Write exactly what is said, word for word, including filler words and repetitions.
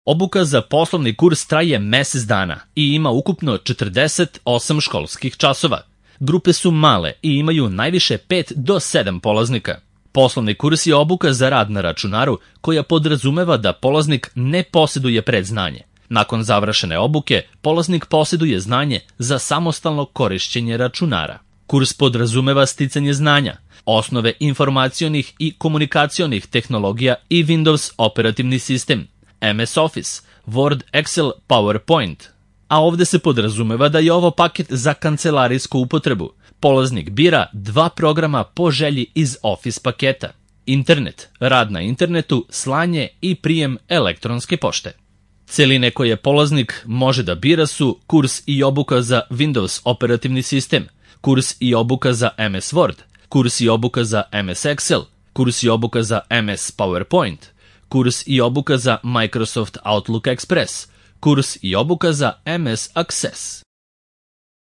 Obuka za poslovni kurs traje mesec dana i ima ukupno četrdeset osam školskih časova. Grupe su male i imaju najviše pet do sedam polaznika. Poslovni kurs je obuka za rad na računaru koja podrazumeva da polaznik ne posjeduje predznanje. Nakon završene obuke, polaznik posjeduje znanje za samostalno korišćenje računara. Kurs podrazumeva sticanje znanja, osnove informacionih i komunikacionih tehnologija i Windows operativni sistem, em es Office, Word, Excel, PowerPoint. A ovde se podrazumeva da je ovo paket za kancelarijsku upotrebu. Polaznik bira dva programa po želji iz Office paketa: internet, rad na internetu, slanje i prijem elektronske pošte. Celine koje polaznik može da bira su kurs i obuka za Windows operativni sistem, kurs i obuka za em es Word, kurs i obuka za em es Excel, kurs i obuka za em es PowerPoint, kurs i obuka za Microsoft Outlook Express, kurs i obuka za em es Access.